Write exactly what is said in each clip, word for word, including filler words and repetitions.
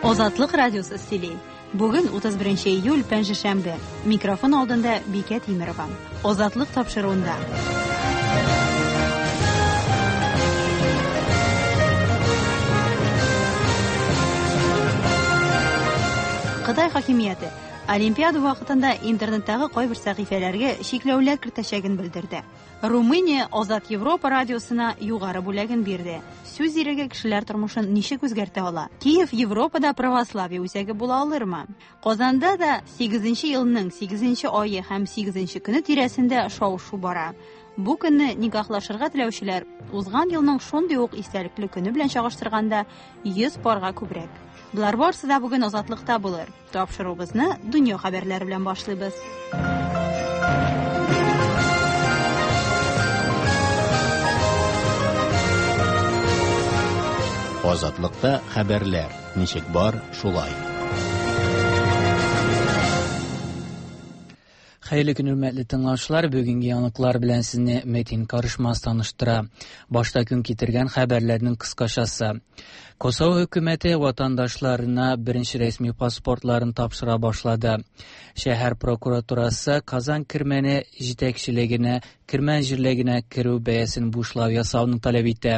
Азатлык радиосы сөйли. Бүген утыз беренче июль, пәнҗешәмбе. Микрофон алдында Бикә Тимерова. Азатлык тапшыруында. Кытай хакимияте Олимпиада вакытында интернеттагы кайбер сәхифәләргә чикләүләр кертәчәген белдерде. Румыния Азат Европа радиосына югары бүләген бирде. Сүз иреге кешеләр тормышын ничек үзгәртә ала? Киев Европада православие үзәге була алырмы? Казанда да сигезенче елның сигезенче ае һәм сигезенче көне тирәсендә шау-шу бара. Бу көнне никахлашырга теләүчеләр узган елның шундый ук истәлекле көне белән чагыштырганда йөз парга күбрәк. Болар барысы да бүген Азатлыкта булыр. Тапшыруыбызны дөнья хәбәрләре белән башлыйбыз. Азатлыкта хәбәрләр ничек бар, шулай. Хәерле көн, хөрмәтле тыңлаучылар. Бүгенге яңалыклар белән сезне Метин Карышмаз таныштыра. Башта көн китергән хәбәрләрнең кыскачасы. Косово хөкүмәте ватандашларына беренче рәсми паспортларын тапшыра башлады. Шәһәр прокуратурасы Казан Кирмәне җитәкчелегенә Кирмән җирлегенә керү бәясен бушлау ясауны таләп итә.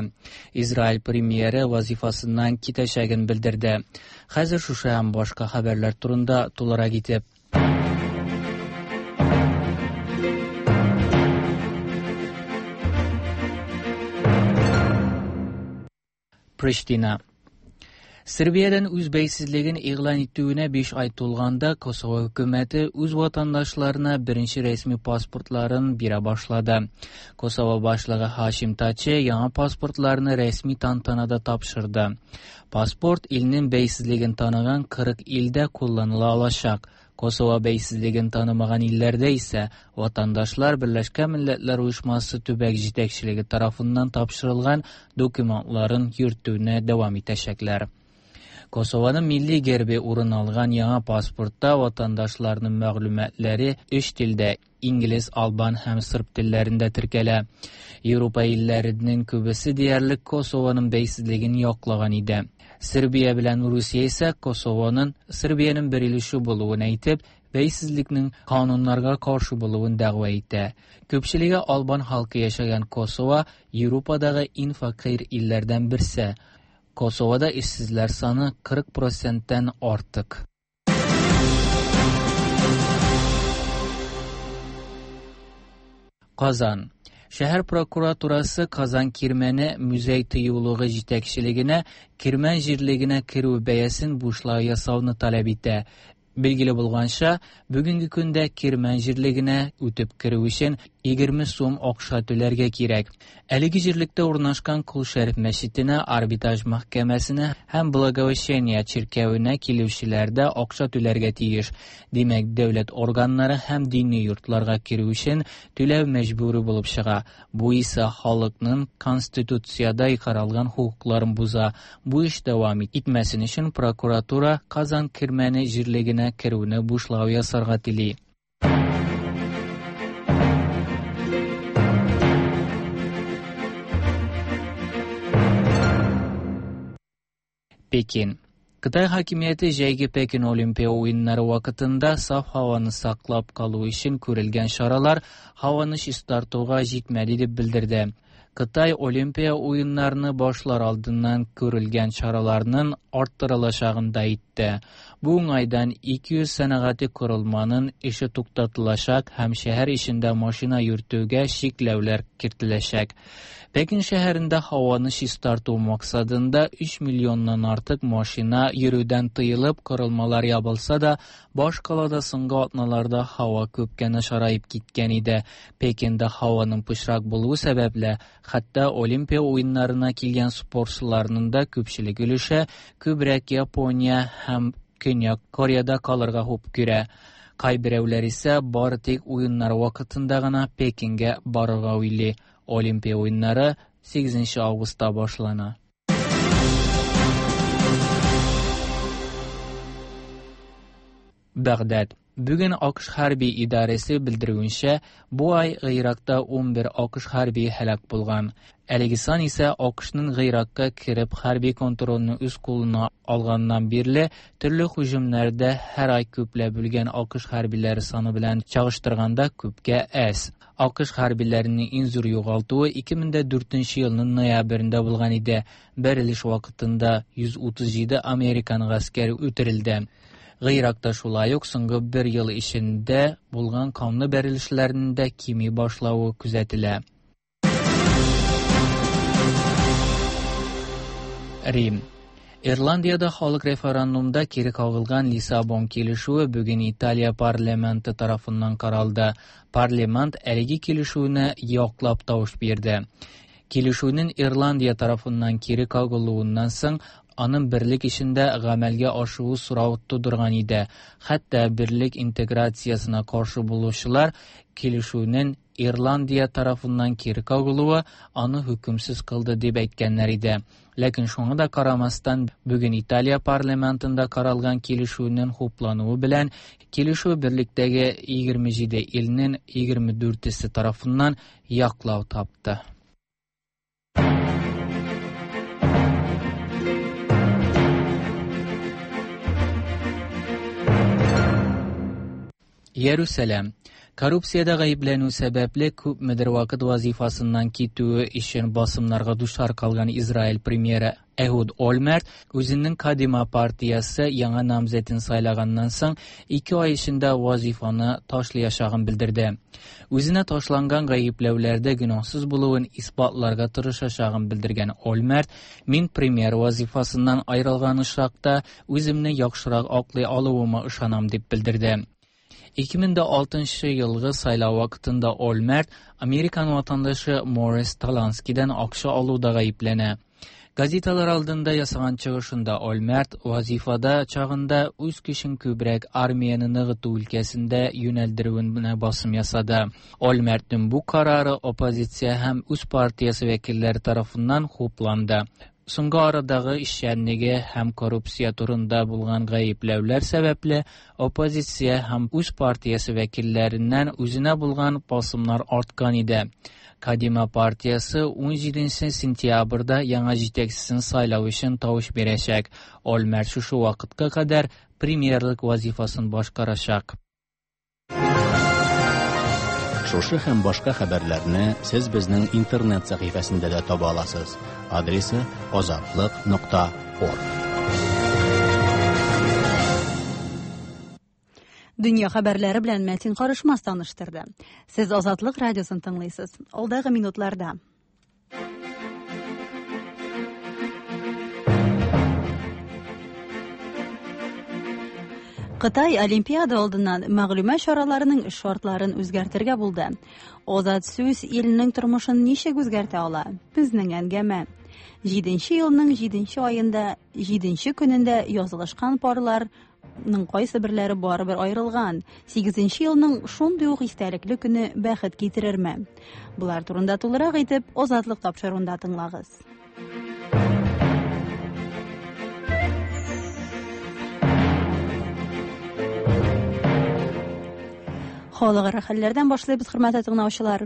Израиль премьеры вазифасыннан китәчәген белдерде. Хәзер шушы һәм башка хәбәрләр турында тулырак итеп. Prishtina. Serbiyadan үз бәйсезлеген игълан итүенә биш ай тулганда Косово хөкүмәте үз ватандашларына беренче рәсми паспортларын бирә башлады. Косово башлыгы Хашим Тачи яңа паспортларны рәсми тантанада тапшырды. Паспорт илнең бәйсезлеген таныган кырык илдә кулланыла алачак. Косово бәйсезлеген танымаган илләрдә исә ватандашлар Берләшкән Милләтләр Оешмасы төбәк җитәкчелеге тарафыннан тапшырылган документларын йөртүне дәвам итәчәкләр. Косованың милли гербе урын алган яңа паспортта ватандашларның мәгълүматлары өч телдә инглиз, албан һәм сырб телләрендә теркәлә. Европа илләренең күбесе диярлек Косованың бәйсезлеген яклаган иде. Сербия белән Русия исә Косованың Сербиянең бер өлеше булуын әйтеп, бәйсезлекнең кануннарга каршы булуын дәгъва итә. Күпчелеге албан халкы яшәгән Косово Европадагы иң фәкыйрь илләрдән берсе. Косовода эшсезләр саны кырык проценттан артык. Казан. Шәһәр прокуратурасы Казан Кирмәне музей тыюлыгы җитәкчелегенә Кирмән җирлегенә керү бәясен бушлай ясауны таләп итә. Билгеле булганча, бүгенге көндә Кирмән җирлегенә үтеп керү өчен егерме сум акча түләргә кирәк. Әлеге җирлектә урнашкан Кол Шәриф мәчетенә, арбитраж мәхкәмәсенә һәм Благовещение чиркәвенә килүчеләр дә акча түләргә тиеш. Димәк, дәүләт органнары һәм дини йортларга керү өчен түләү мәҗбүри булып чыга. Бу исә халыкның конституциядә каралган хокукларын боза. Бу эш дәвам итмәсен өчен прокуратура Казан Кирмәне җирлегенә керүне бушлау ясарга тели. Пекин. Кытай хакимияте җәйге Пекин Олимпия уеннары вакытында саф һаваны саклап калу өчен күрелгән чаралар һаваны чистартуга җитмәде дип белдерде. Кытай Олимпия уеннарны башлар алдыннан күрелгән чараларның арттырылачагын да әйтте. Бу уңайдан ике йөз сәнәгати корылманың эше туктатылачак һәм шәһәр эчендә машина йөртүгә чикләүләр кертеләчәк. Пекин шәһәрендә һаваны чистарту максатында өч миллионнан артык машина йөрүдән тыелып, корылмалар ябылса да, баш калада соңгы атналарда һава күпкә начараеп киткән иде. Пекинда һаваның пычрак булуы сәбәпле, хәтта Олимпия уеннарына килгән спортчыларның да күпчелек өлеше күбрәк Япония һәм Көньяк Кореяда калырга хуп күрә. Кайберәүләр исә бары тик уеннар вакытында гына Пекингә барырга уйлый. Олимпия уеннары сигезенче августта башлана. Багдад. Бүген АКШ хәрби идарәсе белдерүенчә, бу ай Гыйракта унбер АКШ хәрби һәлак булган. Әлеге сан исә АКШның Гыйракка кереп хәрби контрольне үз кулына алганнан бирле төрле һөҗүмнәрдә һәр ай күпләп үлгән АКШ хәрбиләре саны белән чагыштырганда күпкә әз. АКШ хәрбиләренең иң зур югалтуы ике мең дә дүртенче елның ноябрендә булган иде. Бәрелеш вакытында йөз утыз җиде американ гаскәре үтерелде. Гыйракта шулай ук соңгы бер ел эчендә булган канлы бәрелешләрнең дә кими башлавы күзәтелә. Рим. Ирландиядә халык референдумда кире кагылган Лиссабон килешүе бүген Италия парламенты тарафыннан каралды. Парламент әлеге килешүне яклап тавыш бирде. Килешүнең Ирландия тарафыннан кире кагылуыннан соң аның берлек эчендә гамәлгә ашуы сорау тудырган иде. Хәтта берлек интеграциясенә каршы булучылар килешүнең Ирландия тарафыннан кире кагылуы аны хөкемсез кылды дип әйткәннәр иде. Ләкин шуңа да карамастан, бүген Италия парламентында каралган килешүнең хуплануы белән килешү берлектәге егерме җиде илнең егерме дүртесе тарафыннан яклау тапты. Иерусалим. Коррупциядә гаепләнү сәбәпле күпмедер вакыт вазифасыннан китүе өчен басымнарга дучар калган Израиль премьеры Эхуд Ольмерт үзенең Кадима партиясе яңа намзәтен сайлаганнан соң ике ай эчендә вазифаны ташлаячагын белдерде. Үзенә ташланган гаепләүләрдә гөнаһсыз булуын исбатларга тырышачагын белдергән Ольмерт, мин премьер вазифасыннан аерылган очракта үземне яхшырак аклый алуыма ышанам дип белдерде. Ике мең дә алтынчы елгы сайлау вакытында Ольмерт Американ ватандашы Морис Таланскидан акча алуда гаепләнә. Газеталар алдында ясаган чыгышында Ольмерт вазифада чагында үз көчен күбрәк армияне ныгыту өлкәсендә юнәлдерүенә басым ясады. Ольмертның бу карары оппозиция һәм үз партиясе вәкилләре тарафыннан хупланды. Соңгы арадагы эшчәнлеге һәм коррупция турында булган гаепләүләр сәбәпле оппозиция һәм үз партиясе вәкилләреннән үзенә булган басымнар арткан иде. Кадима партиясе ун җиденче сентябрьдә яңа җитәкчесен сайлау өчен тавыш бирәчәк. Ольмерт шушы вакытка кадәр премьерлык вазифасын башкарачак. Шушы һәм башка хәбәрләрне сез безнең интернет сәхифәсендә дә таба аласыз. Адресы азатлык нокта орг. Дөнья хәбәрләре белән Мәтин Карышмас таныштырды. Сез Азатлык радиосын тыңлыйсыз. Алдагы минутларда. Кытай Олимпиада алдыннан мәгълүмат чараларының шартларын үзгәртергә булды. Азат сүз илнең тормышын ничек үзгәртә ала? Безнең әңгәмә. Җиденче елның җиденче аенда, җиденче көнендә язылышкан парларның кайсы берләре барыбер аерылган. Сигезенче елның шундый ук истәлекле көне бәхет китерерме? Булар турында тулырак итеп Азатлык тапшыруында тыңлагыз. Халыкара хәлләрдән башлыйбыз, хөрмәтле тыңлаучылар.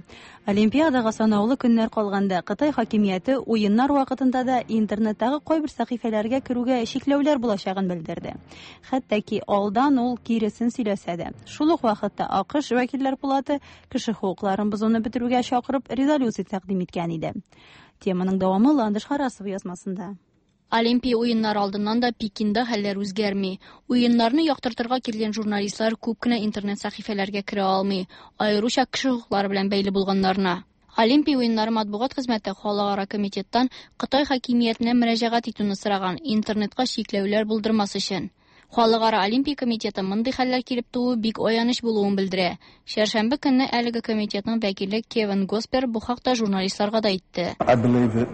Олимпиадага санаулы көннәр калганда Кытай хакимияте уеннар вакытында да интернеттагы кайбер сәхифәләргә керүгә чикләүләр булачагын белдерде. Хәтта ки алдан ул киресен сөйләсә дә. Шул ук вакытта АКШ вәкилләр палаты кеше хокукларын бозуны бетерүгә чакырып резолюция тәкъдим иткән иде. Теманың дәвамы Ландыш Харасова язмасында. Олимпия уеннары алдыннан да Пекинда хәлләр үзгәрми. Уеннарны яктыртырга килгән журналистлар күп кенә интернет сәхифәләргә керә алмый, аеруча кеше хокуклары белән бәйле булганнарына. Олимпия уеннары матбугат хезмәте халыкара комитеттан Кытай хакимиятенә мөрәҗәгать итүне сораган, интернетка чикләүләр булдырмас өчен. Халыкара Олимпия комитеты мондый хәлләр килеп тууы бик аяныч булуын белдерә. Чәршәмбе көнне әлеге комитетның вәкиле Кевин Госпер бу хакта журналистларга да әйтте. I believe that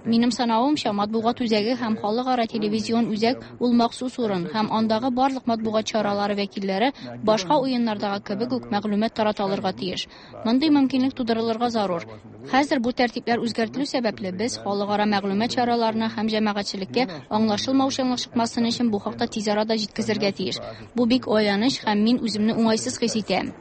Минем санавымча, матбугат үзәге һәм халыкара телевизион үзәк ул махсус урын һәм андагы барлык матбугат чаралары вәкилләре башка уеннардагы кебек үк мәгълүмат тарата алырга тиеш. Мондый мөмкинлек тудырылырга зарур. Хәзер бу тәртипләр үзгәртелү сәбәпле без халыкара мәгълүмат чараларына һәм җәмәгатьчелеккә аңлашылмаучанлык чыкмасын өчен бу хакта тиз арада җиткезергә тиеш. Бу бик аяныч һәм мин үземне уңайсыз хис итәм.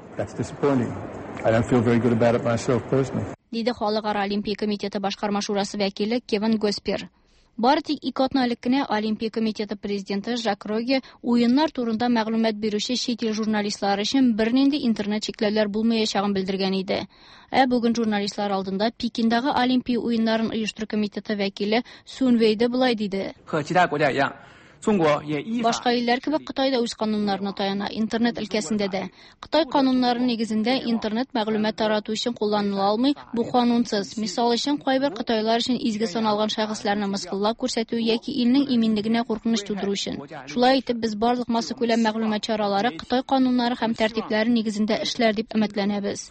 I don't feel very good about it myself personally. Диде Халыкара Олимпия комитеты башкарма шурасы вәкиле Кевин Госпер. Бары тик ике атна элек кенә Олимпия комитеты президенты Жак Роге уеннар турында мәгълүмат бирүче чит ил журналистлары өчен бернинди интернет чикләүләр булмаячагын белдергән иде. Ә бүген журналистлар алдында Пекиндагы Олимпия уеннарын оештыру комитеты вәкиле Сун Вейде болай диде. Башка илләр кебек Кытай да үз кануннарына таяна, интернет өлкәсендә дә. Кытай кануннары нигезендә интернет мәгълүмат тарату өчен кулланыла алмый, бу канунсыз. Мисал өчен, кайбер кытайлар өчен изге саналган шәхесләрне мыскыллап күрсәтү яки илнең иминлегенә куркыныч тудыру өчен. Шулай итеп, без барлык массакүләм мәгълүмат чаралары Кытай кануннары һәм тәртипләре нигезендә эшләр дип өметләнәбез.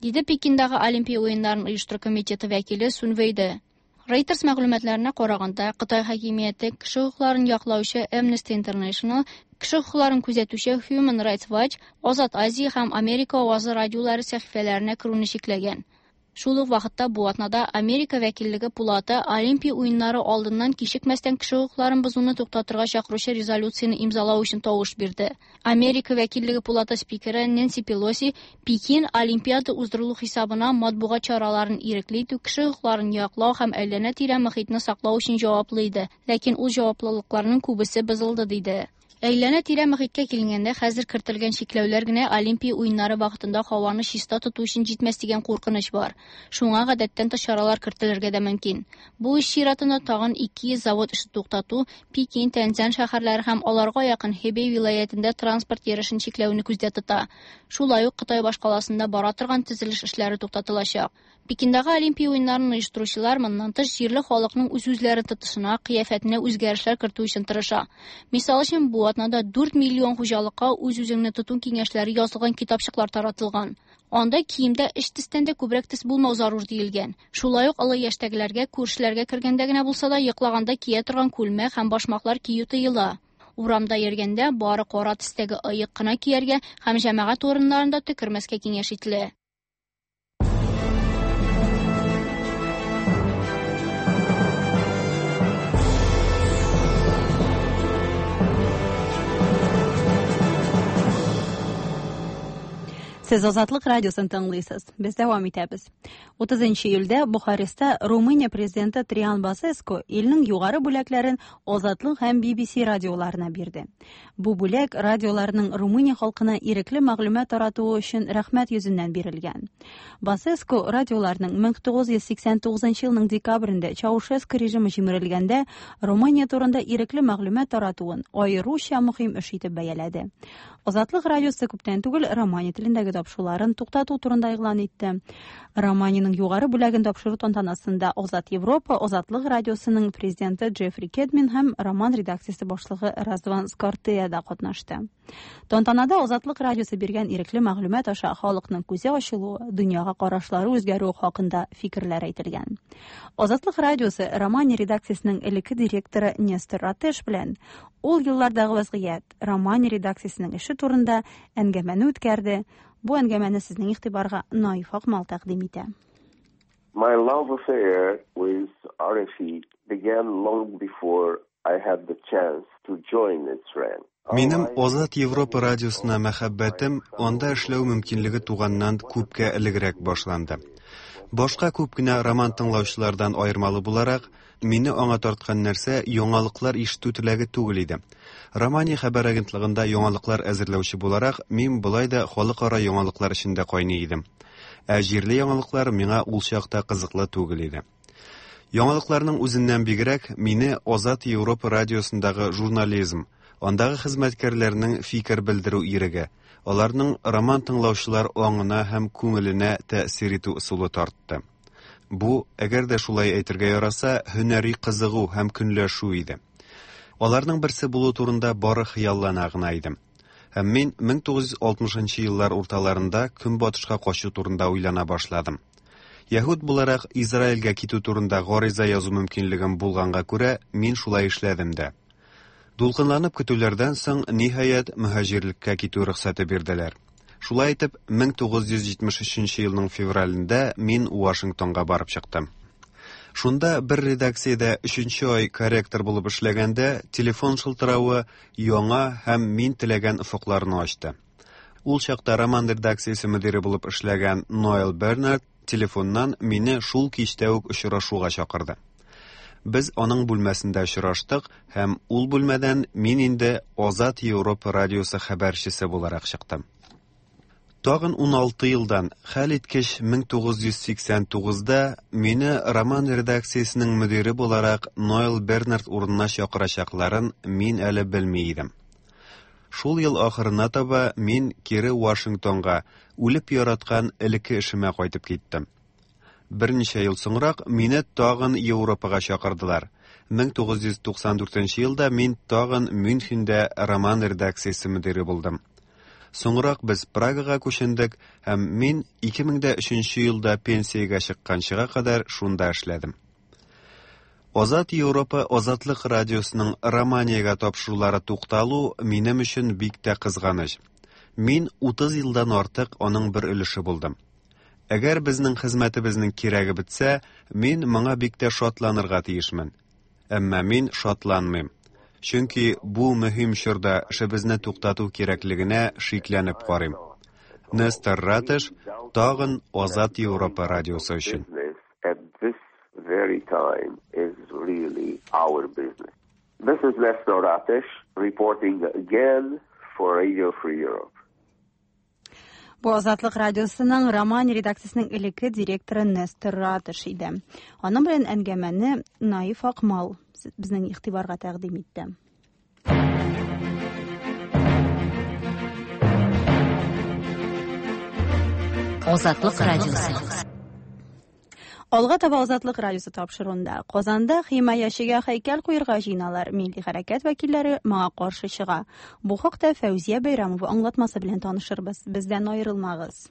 Диде Пекиндагы Олимпия уеннарын оештыру комитеты вәкиле Сун Вейде. Reuters мәгълүматларына караганда, Кытай хакимияте кеше хокукларын яклаучы Amnesty International, кеше хокукларын күзәтүче Human Rights Watch, Азат Азия һәм Америка авазы радиолары сәхифәләренә керүне чикләгән. Шул ук вакытта бу атнада Америка вәкиллеге пулаты Олимпия уеннары алдыннан кичекмәстән кеше хокукларын бозуны туктатырга чакыручы резолюцияне имзалау өчен тавыш бирде. Америка вәкиллеге пулаты спикеры Нэнси Пелоси Пекин Олимпиада уздырылу хисабына матбугат чараларын ирекле итү, кеше хокукларын яклау һәм әйләнә-тирә мохитне саклау өчен җаваплы иде, ләкин ул җаваплылыкларның күбесе бозылды диде. Әйләнә-тирә мохиткә килгәндә, хәзер кертелгән чикләүләр генә Олимпия уеннары вакытында һаваны чиста тоту өчен җитмәс дигән куркыныч бар. Шуңа гадәттән тыш чаралар кертелергә дә мөмкин. Бу эш чиратында тагын ике йөз завод эше туктату, Пекин, Тяньцзинь шәһәрләре һәм аларга якын Хэбэй вилаятендә транспорт йөрешен чикләүне күздә тота. Шулай ук Кытай башкаласында бара торган төзелеш эшләре туктатылачак. Пекиндагы Олимпия уеннарын оештыручылар моннан тыш җирле халыкның үз-үзләрен тотышына, кыяфәтенә үзгәрешләр кертү өчен тырыша. Мисал өчен, бу атнада дүрт миллион хуҗалыкка үз-үзеңне тоту киңәшләре язылган китапчыклар таратылган. Анда киемдә өч төстән дә күбрәк төс булмау зарур диелгән. Шулай ук олы яшьтәгеләргә күршеләргә кергәндә генә булса да йоклаганда кия торган күлмәк һәм башмаклар кию тыела. Урамда йөргәндә бары кара төстәге ыек кына кияргә һәм җәмәгать урыннарында төкермәскә киңәш ителә. Сез Азатлык радиосын тыңлыйсыз. Без дәвам итәбез. утызынчы июльдә Бухареста Румыния президенты Триан Басеску илнең югары бүләкләрен Азатлык һәм би би си радиоларына бирде. Бу бүләк радиоларның Румыния халкына ирекле мәгълүмат таратуы өчен рәхмәт йөзеннән бирелгән. Басеску радиоларның мең тугыз йөз сиксән тугызынчы елның декабрендә Чаушеску режимы җимерелгәндә Румыния турында ирекле мәгълүмат таратуын аеруча мөһим эш итеп бәяләде. Азатлык радиосы күптән түгел романи телендәге тапшыруларын туктату турында игълан итте. Романиянең югары бүләген тапшыру тантанасында Азат Европа, Азатлык радиосының президенты Джеффри Кедмин һәм роман редакциясе башлыгы Разван Скортея да катнашты. Тантанада Азатлык радиосы биргән ирекле мәгълүмат аша халыкның күзе ачылуы, дөньяга карашлары үзгәрүе хакында фикерләр әйтелгән. Азатлык радиосы Романия редакциясенең элекке директоры Нестор Ратеш белән ул еллардагы вазгыять, Романия редакциясенең эше турында әңгәмәне үткәрде. Бу әңгәмәне сезнең игътибарга Наиф Акмал тәкъдим итә. My love affair with R F E began long before I had the chance to join its ranks. Минем Азат Европа радиосына мәхәббәтем анда эшләү мөмкинлеге туганнан күпкә элегрәк башланды. Башка күп кенә роман тыңлаучылардан аермалы буларак, мине аңа тарткан нәрсә яңалыклар ишетү теләге түгел иде. Романия хәбәр агентлыгында яңалыклар әзерләүче буларак, мин болай да халыкара яңалыклар эчендә кайный идем. Ә җирле яңалыклар миңа ул чакта кызыклы түгел иде. Яңалыкларның үзеннән бигрәк мине Азат Европа радиосындагы журнализм, андагы хезмәткәрләрнең фикер белдерү иреге, аларның роман тыңлаучылар аңына һәм күңеленә тәэсир итү ысулы тартты. Бу, әгәр дә шулай әйтергә яраса, һөнәри кызыгу һәм көнләшү иде. Аларның берсе булу турында бары хыяллана гына идем. Һәм мин мең тугыз йөз алтмышынчы еллар урталарында Көнбатышка качу турында уйлана башладым. Яһүд буларак Израильгә китү турында гариза язу мөмкинлегем булганга күрә, мин шулай эшләдем дә. Дулкынланып көтүләрдән соң, ниһаять, мөһаҗирлеккә китү рөхсәте бирделәр. Шулай итеп, мең тугыз йөз җитмеш өченче елның февралендә мин Вашингтонга барып чыктым. Шунда бер редакциядә өченче ай корректор булып эшләгәндә, телефон шылтыравы яңа һәм мин теләгән офыкларны ачты. Ул чакта роман редакциясе мөдире булып эшләгән Ноэл Бернард телефоннан мине шул кичтә үк очрашуга чакырды. Без аның бүлмәсендә очраштык һәм ул бүлмәдән мин инде Азат Европа радиосы хәбәрчесе буларак чыктым. Тагын ун алты елдан, хәл иткеч мең тугыз йөз сиксән тугызда мине роман редакциясенең мөдире буларак Ноэл Бернард урынына чакырачакларын мин әле белми идем. Шул ел ахырына таба мин кире Вашингтонга, үлеп яраткан элекке эшемә кайтып киттем. Берничә ел соңрак мине тагын Европага чакырдылар. Мең тугыз йөз туксан дүртенче елда мин тагын Мюнхенда роман редакциясе мөдире булдым. Соңрак без Прагага күчендек һәм мин ике мең дә өченче елда пенсиягә чыкканчыга кадәр шунда эшләдем. Азат Европа Азатлык радиосының Романиягә тапшырулары тукталу минем өчен бик тә кызганыч. Мин утыз елдан артык аның бер өлеше булдым. Әгәр безнең хезмәтебезнең кирәге бетсә, мин моңа бик тә шатланырга тиешмен. Әмма мин шатланмыйм. Чөнки бу мөһим чорда эшебезне туктату кирәклегенә шикләнеп карыйм. Нестор Ратыш, тагын Азат Европа радиосы өчен. At this very time is really our business. This is Nestor Ratish reporting again for Radio Free Europe. Бу Азатлык радиосының Романия редакциясенең элекке директоры Нестор Ратыш иде. Аның белән әңгәмәне Наиф Акмал безнең игътибарга тәкъдим итте. Азатлык радиосы. Алга таба Азатлык радиосы тапшыруында Казанда химаячыга һәйкәл куярга җыеналар. Милли хәрәкәт вәкилләре моңа каршы чыга. Бу хакта Фәүзия Бәйрәмова аңлатмасы белән танышырбыз. Бездән аерылмагыз.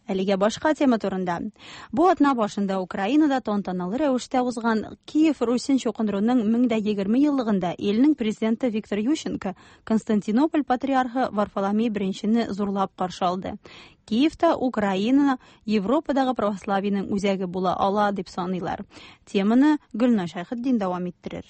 Әлегә башка тема турында. Бу атна башында Украинада тантаналы рәвештә узган Киев Русен чукындыруның мең дә егерме еллыгында илнең президенты Виктор Ющенко Константинополь патриархы Варфоломей беренчене зурлап каршы алды. Киевта Украина Европадагы православиенең үзәге була ала дип саныйлар. Теманы Гөлназ Шәйхетдин дәвам иттерер.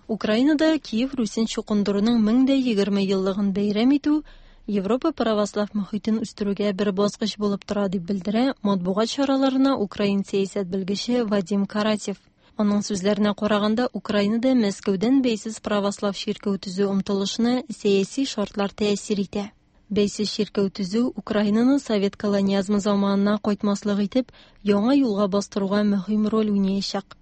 Украинада Киев Русен чукындыруның мең дә егерме еллыгын бәйрәм итү Европа православ мөхитен үстерүгә бер баскыч булып тора дип белдерә матбугат чараларына украин сәясәт белгече Вадим Каратев. Аның сүзләренә караганда, Украинада Мәскәүдән бәйсез православ чиркәү төзү омтылышына сәяси шартлар тәэсир итә. Бәйсез чиркәү төзү Украинаны совет колониазмы заманына кайтмаслык итеп, яңа юлга бастыруга мөһим роль уйнаячак.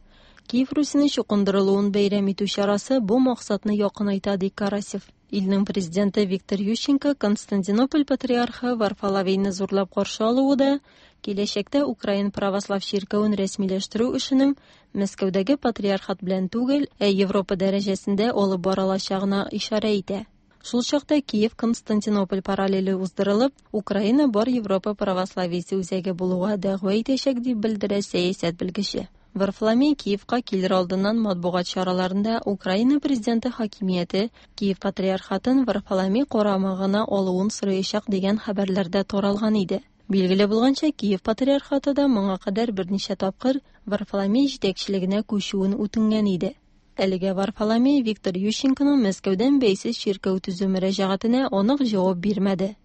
Киев Русенең чукындырылуын бәйрәм итү чарасы бу максатны якынайта, ди Карасев. Илнең президенты Виктор Ющенко Константинополь патриархы Варфоломейны зурлап каршы алуы да киләчәктә Украин православ чиркәвен рәсмиләштерү эшенең Мәскәүдәге патриархат белән түгел, ә Европа дәрәҗәсендә алып барылачагына ишарә итә. Шул чакта Киев Константинополь параллеле уздырылып, Украина бар Европа православиесе үзәге булуга дәгъва итәчәк дип белдерә сәясәт белгече. Варфоломей Киевка килер алдыннан матбугат чараларында Украина президенты хакимияте Киев патриархатын Варфоломей карамагына алуын сораячак дигән хәбәрләрдә таралган иде. Билгеле булганча, Киев патриархаты да моңа кадәр берничә тапкыр Варфоломей җитәкчелегенә күчүен үтенгән иде. Әлегә Варфоломей Виктор Ющенконың Мәскәүдән бәйсез чиркәү төзү мөрәҗәгатенә анык җавап бирмәде.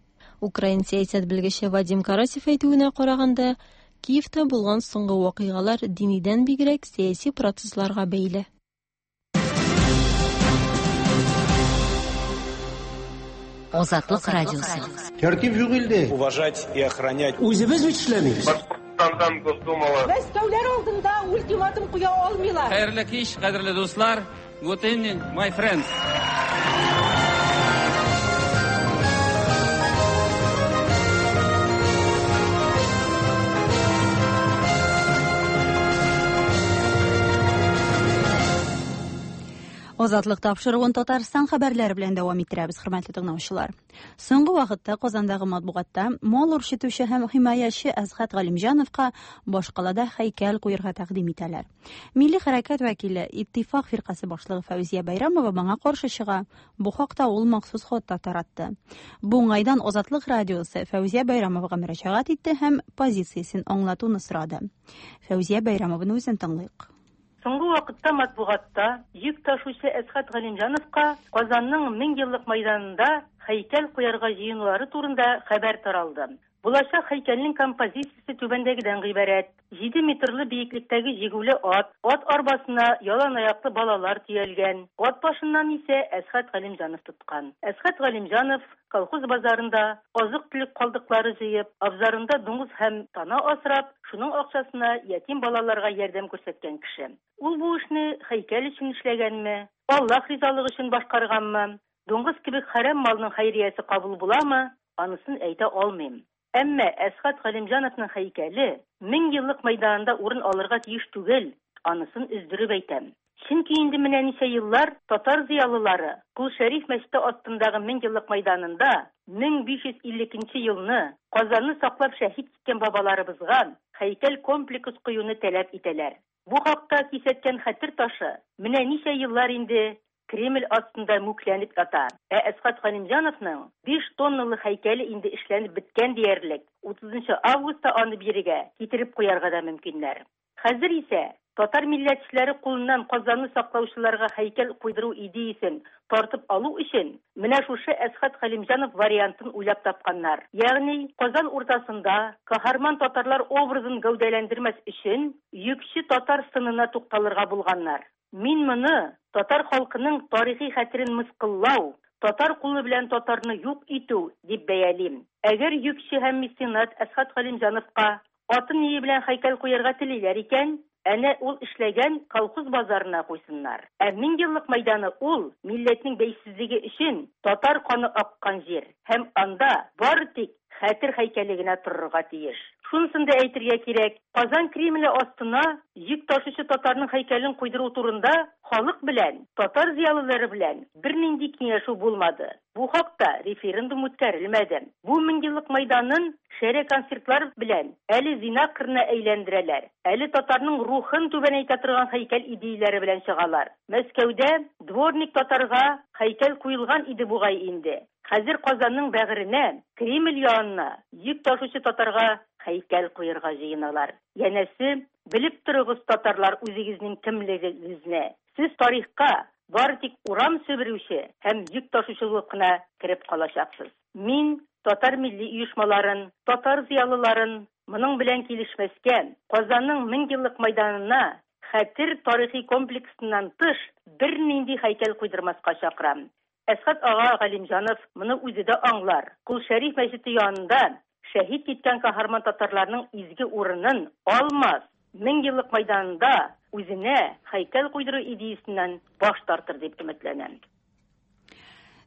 Украин сәясәт белгече Вадим Карасев әйтүенә караганда, Киевта булган соңгы вакыйгалар динидән бигрәк сәяси процессларга бәйле. Азатлык радиосы. Тәртип юк илдә. Уважать и охранять. Үзебез бит эшләмибез. Башкортстандан Госдумала. Мәскәүләр алдында ультиматум куя алмыйлар. Хәерле кич, кадерле дуслар. Good evening, my friends. Азатлык тапшыруын Татарстан хәбәрләре белән дәвам иттерәбез, хөрмәтле тыңлаучылар. Соңгы вакытта Казандагы матбугатта мал үрчетүче һәм химаячы Әсхәт Галимҗановка башкалада һәйкәл куярга тәкъдим итәләр. Милли хәрәкәт вәкиле, Иттифак фиркасе башлыгы Фәүзия Бәйрәмова моңа каршы чыга. Бу хакта ул махсус хат та таратты. Бу уңайдан Азатлык радиосы Фәүзия Бәйрәмовага мөрәҗәгать итте һәм позициясен аңлатуны сорады. Фәүзия Бәйрәмованы үзен тыңлыйк. Соңгы вакытта матбугатта йөк ташучы Әсхәт Галимҗановка Казанның мең еллык мәйданында һәйкәл куярга җыенулары турында хәбәр таралды. Булачак һәйкәлнең композициясе түбәндәгедән гыйбарәт. Җиде метрлы биеклектәге җигүле ат, ат арбасына ялан аяклы балалар төялгән. Ат башыннан исә Әсхәт Галимҗанов тоткан. Әсхәт Галимҗанов колхоз базарында азык-төлек калдыклары җыеп, абзарында дуңгыз һәм тана асрап, шуның акчасына ятим балаларга ярдәм күрсәткән кеше. Ул бу эшне һәйкәл өчен эшләгәнме, Аллаһ ризалыгы өчен башкарганмы, дуңгыз кебек хәрам малның хәйриясе кабул буламы, анысын әйтә алмыйм. Әмма Әсхәт Галимҗановның һәйкәле мең еллык мәйданында урын алырга тиеш түгел, анысын өздереп әйтәм. Чөнки инде менә ничә еллар татар зыялылары Кол Шәриф мәчете астындагы мең еллык мәйданында мең биш йөз илле икенче елны Казанны саклап шәһит киткән бабаларыбызга һәйкәл комплекс куюны таләп итәләр. Бу хакта кисәткән хәтер ташы менә ничә еллар инде Кремль астында мүкләнеп ята. Ә Әсхәт Галимҗановның биш тонналы һәйкәле инде эшләнеп беткән диярлек. утызынчы августта аны бирегә китереп куярга да мөмкиннәр. Хәзер исә татар милләтчеләре кулыннан Казанны саклаучыларга һәйкәл куйдыру идеясен тартып алу өчен менә шушы Әсхәт Галимҗанов вариантын уйлап тапканнар. Ягъни Казан уртасында каһарман татарлар образын гәүдәләндермәс өчен йөкче татар сынына тукталырга булганнар. Мин моны татар халкының тарихи хәтерен мыскыллау, татар кулы белән татарны юк итү дип бәялим. Әгәр йөкче һәм меценат Әсхәт Галимҗановка атын ние белән һәйкәл куярга телиләр икән, әнә ул эшләгән колхоз базарына куйсыннар. Ә мең еллык мәйданы ул милләтнең бәйсезлеге өчен татар каны аккан җир һәм анда бары тик хәтер һәйкәле генә торырга тиеш. Шунысын да әйтергә кирәк, Казан Кремле астына йөк ташучы татарның һәйкәлен куйдыру турында халык белән, татар зыялылары белән бернинди киңәшү булмады. Бу хакта референдум үткәрелмәде. Бу мең еллык мәйданын шәрә концертлар белән әле зина кырына әйләндерәләр, әле татарның рухын түбәнәйтә торган һәйкәл идеяләре белән чыгалар. Мәскәүдә дворник татарга һәйкәл куелган иде бугай инде. Хәзер Казанның бәгыренә, Кремль янына йөк ташучы татарга һәйкәл куярга җыеналар. Янәсе, белеп торыгыз, татарлар, үзегезнең кемлегегезне. Сез тарихка бары тик урам себерүче һәм йөк ташучы булып кына кереп калачаксыз. Мин татар милли оешмаларын, татар зыялыларын моның белән килешмәскә, Казанның мең еллык мәйданына хәтер тарихи комплексыннан тыш бернинди һәйкәл куйдырмаска чакырам. Әсхәт ага Галимҗанов моны үзе дә аңлар. Кол Шәриф мәчете янында шәһит киткән каһарман татарларның изге урынын алмас, мең еллык мәйданында үзенә һәйкәл куйдыру идеясеннән баш тартыр дип өметләнәм.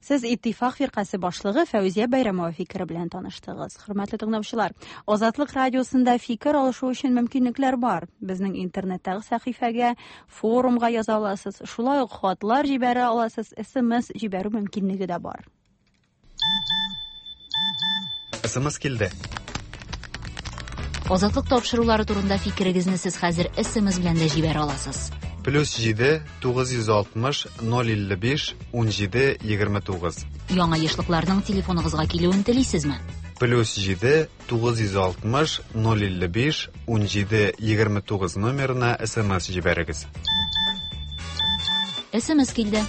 Сез Иттифак фиркасе башлыгы Фәүзия Бәйрәмова фикере белән таныштыгыз. Хөрмәтле тыңлаучылар, Азатлык радиосында фикер алышу өчен мөмкинлекләр бар. Безнең интернеттагы сәхифәгә, форумга яза аласыз, шулай ук хатлар җибәрә аласыз, эс эм эс җибәрү мөмкинлеге дә бар. эс эм эс килде. Азатлык тапшырулары турында фикерегезне сез хәзер эс эм эс белән дә җибәрә аласыз. Плюс җиде, тугыз йөз алтмыш, ноль илле биш, ун җиде, егерме тугыз. Яңа ешлыкларның телефоныгызга килүен телисезме? Плюс җиде, тугыз йөз алтмыш, ноль илле биш, ун җиде, егерме тугыз номерына эс эм эс җибәрегез. эс эм эс килде.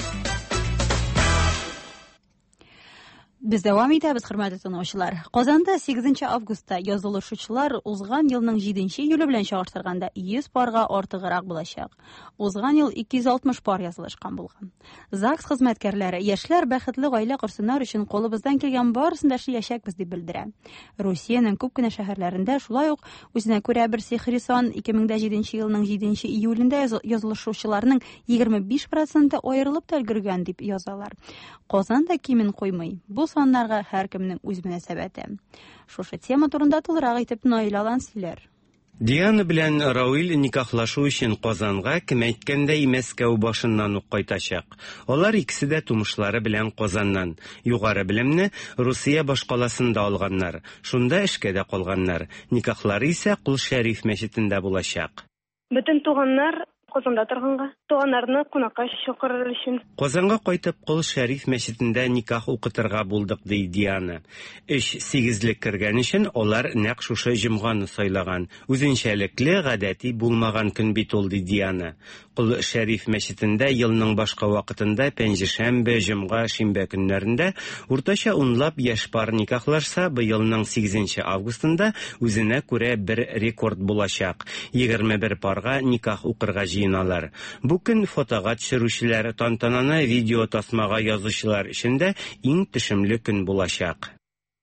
Без дәвам итәбез, хөрмәтле тыңлаучылар. Казанда сигезенче августта язылышучылар узган елның җиденче июле белән чагыштырганда йөз парга артыграк булачак. Узган ел ике йөз алтмыш пар язылышкан булган. ЗАГС хезмәткәрләре яшьләр бәхетле гаилә корсыннар өчен кулыбыздан килгән барысын да эшләячәкбез дип белдерә. Русиянең күп кенә шәһәрләрендә шулай ук үзенә күрә бер сихри сан ике мең дә җиденче елның җиденче июлендә язылышучыларның егерме биш проценты аерылып та өлгергән дип язалар. Казан да кимен куймый. Бу саннарга һәркемнең үз мөнәсәбәте. Шушы тема турында тулырак итеп Наил Алан сөйләр. Диана белән Рауил никахлашу өчен Казанга, кем әйткәндәй, Мәскәү башыннан ук кайтачак. Алар икесе дә тумышлары белән Казаннан. Югары белемне Русия башкаласында алганнар. Шунда эшкә дә калганнар. Никахлары исә Кол Шәриф мәчетендә булачак. Бөтен туганнар Казанда торганга, туганнарны кунакка чакырыр өчен. Казанга кайтып Кол Шәриф мәчетендә никах укытырга булдык, ди Диана. Өч сигезлек кергән өчен алар нәкъ шушы җомганы сайлаган. Үзенчәлекле, гадәти булмаган көн бит ул, ди Диана. Кол Шәриф мәчетендә елның башка вакытында пәнҗешәмбе, җомга, шимбә көннәрендә уртача унлап яшь пар никахлашса, быелның сигезенче августында үзенә күрә бер рекорд булачак. Егерме бер парга никах укырга җыеналар. Бу көн фотога төшерүчеләр, тантананы видео тасмага язучылар өчен дә иң төшемле көн булачак.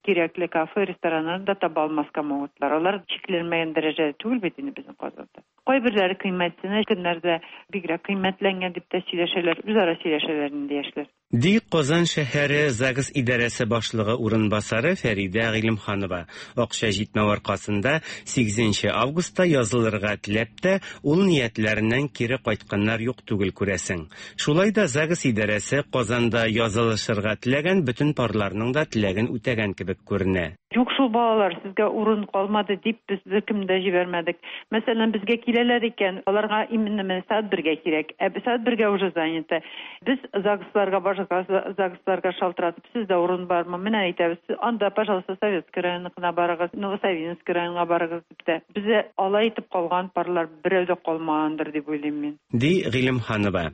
Кирәкле кафе, рестораннарны да таба алмаска могутлар. Алар чикләнмәгән дәрәҗәдә түгел бит инде безнең Казанда. Кайберләре кыйммәтсенә, көннәрдә бигрәк кыйммәтләнгән дип тә сөйләшәләр, үзара сөйләшәләр инде яшьләр. Ди Казан шәһәре ЗАГС идарәсе башлыгы урынбасары Фәридә Гыйлемханова. Акча җитмәү аркасында сигезенче августта язылырга теләп тә ул ниятләреннән кире кайтканнар юк түгел, күрәсең. Шулай да ЗАГС идарәсе Казанда язылышырга теләгән бөтен парларның да теләген үтәгән кебек күренә. Юк шул, балалар, сезгә урын калмады дип без беркемне дә җибәрмәдек. Мәсәлән, безгә киләләр икән, аларга именно менә сәгать бергә кирәк. Ә сәгать бергә уже занято. Без ЗАГСларга, башка ЗАГСларга шалтыратып, сездә урын бармы? Менә әйтәбез, анда, пожалуйста, Советский районына барыгыз, Новосавинский районына барыгыз дип тә. Бездә алай итеп калган парлар берәү дә калмагандыр дип уйлыйм мин. Ди Гыйлемханова.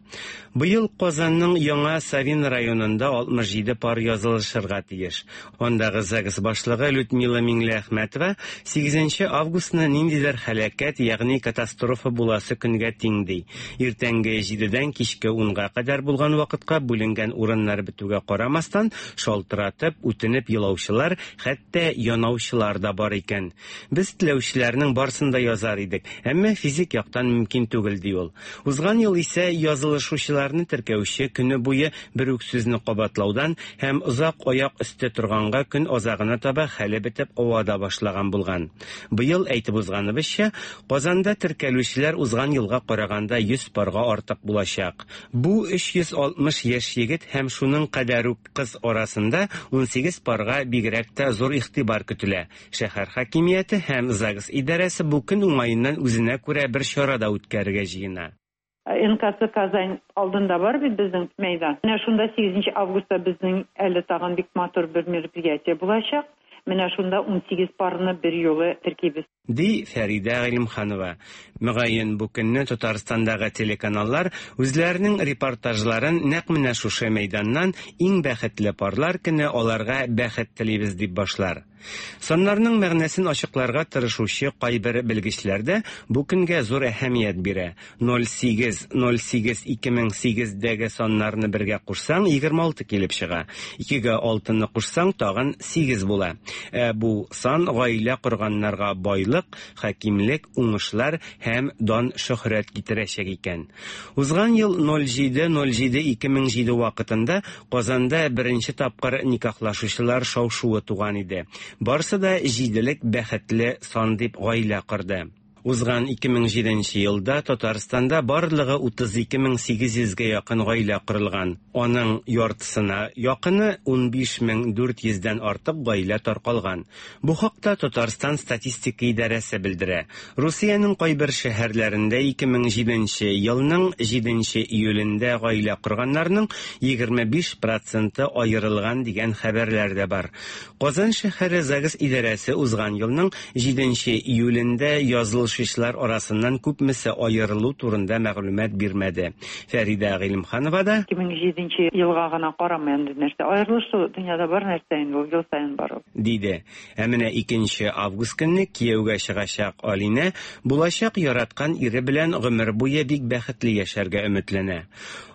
Быел Казанның Яңа Савин районында алтмыш җиде пар язылышырга тиеш. Андагы ЗАГС башлыгы Людмила Миңлеәхмәтова сигезенче августны ниндидер һәлакәт, ягъни катастрофа буласы көнгә тиң ди. Иртәнге җидедән кичке унга кадәр булган вакытка бүленгән урыннар бетүгә карамастан, шалтыратып, үтенеп елаучылар, хәтта янаучылар да бар икән. Без теләүчеләрнең барсын да язар идек, әмма физик яктан мөмкин түгел, ди ул. Узган ел исә язылышучыларны теркәүче көне буе бер үк сүзне кабатлаудан һәм озак аяк өсте торганга көн азагына таба хәле бетеп ава да башлаган булган. Быел әйтеп узганыбызча, Казанда теркәлүчеләр узган елга караганда йөз парга артык булачак. Бу өч йөз алтмыш яшь егет һәм шуның кадәр үк кыз арасында унсигез парга бигрәк тә зур игътибар көтелә. Шәһәр хакимияте һәм ЗАГС идарәсе бу көн уңаеннан үзенә күрә бер чара да үткәрергә җыена. эн ка цэ Казань алдында бар бит безнең мәйдан. Менә шунда сигезенче августта безнең әле тагын бик матур бер мероприятие булачак. Менә шунда унсигез парны бер юлы теркибез. Ди Фәридә Гыйлемханова. Мөгаен бу көнне Татарстандагы телеканаллар үзләренең репортажларын нәкъ менә шушы мәйданнан иң бәхетле парлар көне аларга бәхет телибез дип башлар. Саннарның мәгънәсен ачыкларга тырышучы кайбер белгечләр дә бу көнгә зур әһәмият бирә. ноль сигез ноль сигез ике мең сигездәге саннарны бергә кушсаң, егерме алты килеп чыга. Икегә алтыны кушсаң, тагын сигез була. Ә бу сан гаилә корганнарга байлык, хакимлек, уңышлар һәм дан шөһрәт китерәчәк икән. Узган ел ноль җиде ноль җиде ике мең җиде вакытында Казанда беренче тапкыр никахлашучылар шау-шуы туган иде. Барсы да җиделек бәхетле сан дип гаилә корды. Узган ике мең җиденче елда Татарстанда барлыгы утыз ике мең сигез йөзгә якын гаилә корылган. Аның яртысына якыны унбиш мең дүрт йөздән артык гаилә таркалган. Бу хакта Татарстан статистика идарәсе белдерә. Русиянең кайбер шәһәрләрендә ике мең җиденче елның җиденче июлендә гаилә корганнарның егерме биш проценты аерылган дигән хәбәрләр дә бар. Казан шәһәре ЗАГС идарәсе узган елның җиденче июлендә язылыш Шишлар арасыннан күпмесе аерылу турында мәгълүмат бирмәде. Фәридә Гыйлемханова да ике мең җиденче елга гына карамый инде нәрсә. Аерылышу дөньяда бар нәрсә инде, ул ел саен бар ул. Диде. Ә менә икенче август көнне кияүгә чыгачак Алинә булачак яраткан ире белән гомер буе бик бәхетле яшәргә өметләнә.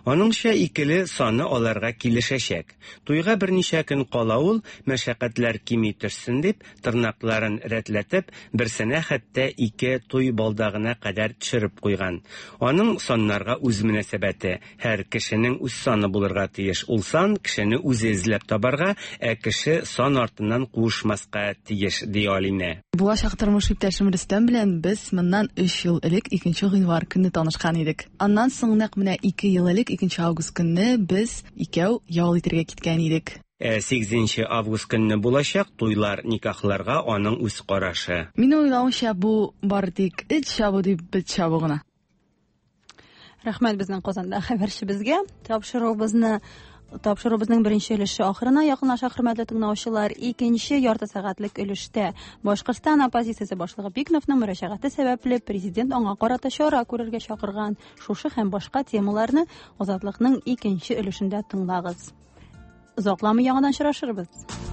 Аныңча икеле саны аларга килешәчәк. Туйга берничә көн кала ул, мәшәкатьләр кими төшсен дип, тырнакларын рәтләтеп, берсенә хәтта ике туй балдагына кадәр төшереп куйган. Аның саннарга үз мөнәсәбәте. Һәр кешенең үз саны булырга тиеш. Ул сан кешене үзе эзләп табарга, ә кеше сан артыннан куышмаска тиеш, ди Алинә. Булачак тормыш иптәшем Рөстәм белән без моннан өч ел элек икенче гыйнвар көнне танышкан идек. Аннан соң нәкъ менә ике ел элек икенче август көнне без икәү ял итәргә киткән идек. Ә сигезенче август көнне булачак туйлар, никахларга аның үз карашы. Минем уйлавымча, бу бары тик эт чабу дип бет чабу гына. Рәхмәт безнең Казанда хәбәрчебезгә. Тапшыруыбызны Тапшыруыбызның беренче өлеше ахырына якынлаша, хөрмәтле тыңлаучылар. Икенче ярты сәгатьлек өлештә Башкортстан оппозициясе башлыгы Бикновның мөрәҗәгате сәбәпле президент аңа карата чара күрергә чакырган. Шушы һәм башка темаларны Азатлыкның икенче өлешендә тыңлагыз. Озакламый яңадан очрашырбыз.